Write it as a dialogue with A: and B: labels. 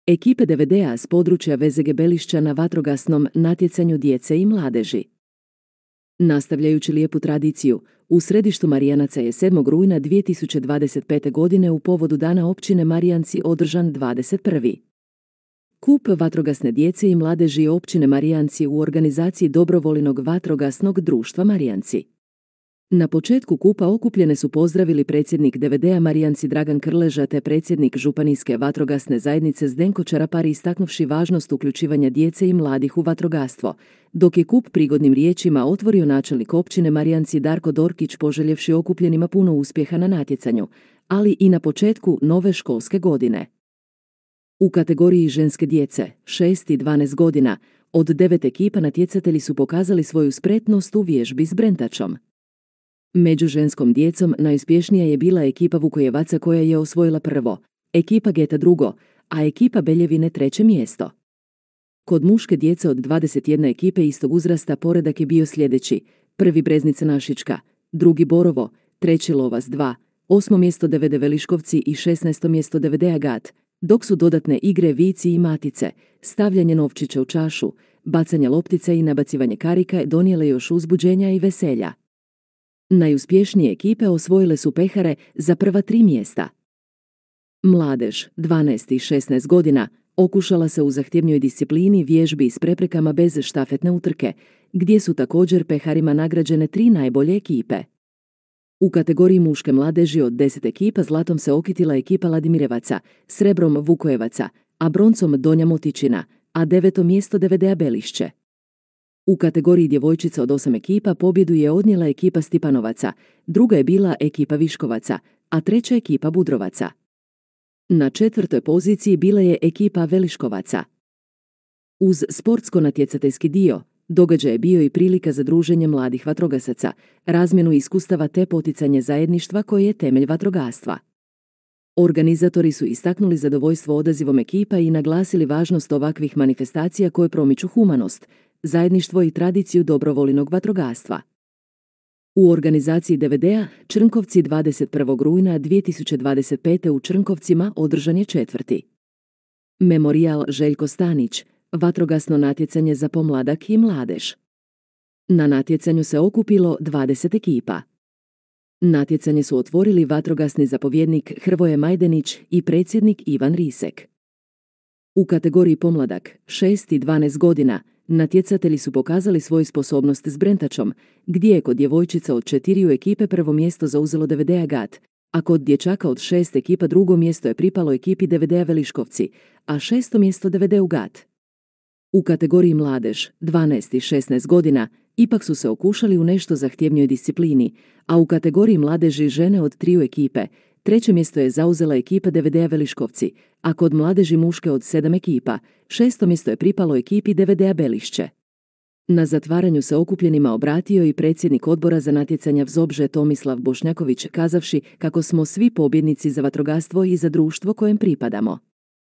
A: Ekipe DVD-a s područja VZG Belišća na vatrogasnom natjecanju djece i mladeži. Nastavljajući lijepu tradiciju, u središtu Marijanaca je 7. rujna 2025. godine u povodu Dana općine Marijanci održan 21. kup vatrogasne djece i mladeži općine Marijanci u organizaciji Dobrovoljnog vatrogasnog društva Marijanci. Na početku kupa okupljene su pozdravili predsjednik DVD-a Marijanci Dragan Krleža te predsjednik Županijske vatrogasne zajednice Zdenko Čarapari istaknuvši važnost uključivanja djece i mladih u vatrogastvo, dok je kup prigodnim riječima otvorio načelnik općine Marijanci Darko Dorkić poželjevši okupljenima puno uspjeha na natjecanju, ali i na početku nove školske godine. U kategoriji ženske djece, 6 i 12 godina, od 9 ekipa natjecatelji su pokazali svoju spretnost u vježbi s brentačom. Među ženskom djecom najuspješnija je bila ekipa Vukojevaca koja je osvojila prvo, ekipa Geta drugo, a ekipa Beljevine treće mjesto. Kod muške djece od 21 ekipe istog uzrasta poredak je bio sljedeći: prvi Breznica Našička, drugi Borovo, treći Lovas 2, 8. mjesto DVD Veliškovci i 16. mjesto DVD Agat, dok su dodatne igre Vici i Matice, stavljanje novčića u čašu, bacanje loptice i nabacivanje karika donijele još uzbuđenja i veselja. Najuspješnije ekipe osvojile su pehare za prva 3 mjesta. Mladež, 12 i 16 godina, okušala se u zahtjevnoj disciplini vježbi s preprekama bez štafetne utrke, gdje su također peharima nagrađene 3 najbolje ekipe. U kategoriji muške mladeži od 10 ekipa zlatom se okitila ekipa Ladimirevaca, srebrom Vukojevaca, a broncom Donja Motičina, a 9. mjesto DVD-a Belišće. U kategoriji djevojčica od 8 ekipa pobjedu je odnijela ekipa Stipanovaca, druga je bila ekipa Viškovaca, a treća ekipa Budrovaca. Na 4. poziciji bila je ekipa Veliškovaca. Uz sportsko-natjecateljski dio, događaj je bio i prilika za druženje mladih vatrogasaca, razmjenu iskustava te poticanje zajedništva koje je temelj vatrogastva. Organizatori su istaknuli zadovoljstvo odazivom ekipa i naglasili važnost ovakvih manifestacija koje promiču humanost, zajedništvo i tradiciju dobrovoljnog vatrogastva. U organizaciji DVD-a Črnkovci 21. rujna 2025. u Črnkovcima održan je 4. Memorijal Željko Stanić, vatrogasno natjecanje za pomladak i mladež. Na natjecanju se okupilo 20 ekipa. Natjecanje su otvorili vatrogasni zapovjednik Hrvoje Majdenić i predsjednik Ivan Risek. U kategoriji pomladak, 6 i 12 godina, natjecatelji su pokazali svoju sposobnost s brentačom, gdje je kod djevojčica od 4 ekipe prvo mjesto zauzelo DVD Agat, a kod dječaka od 6 ekipa drugo mjesto je pripalo ekipi DVD-a Veliškovci, a 6. mjesto DVD Agat. U kategoriji mladež, 12 i 16 godina, ipak su se okušali u nešto zahtjevnijoj disciplini, a u kategoriji mladeži žene od 3 ekipe, treće mjesto je zauzela ekipa DVD-a Veliškovci, a kod mladeži muške od 7 ekipa, 6. mjesto je pripalo ekipi DVD-a Belišće. Na zatvaranju se okupljenima obratio i predsjednik odbora za natjecanja Vzobže Tomislav Bošnjaković kazavši kako smo svi pobjednici za vatrogastvo i za društvo kojem pripadamo.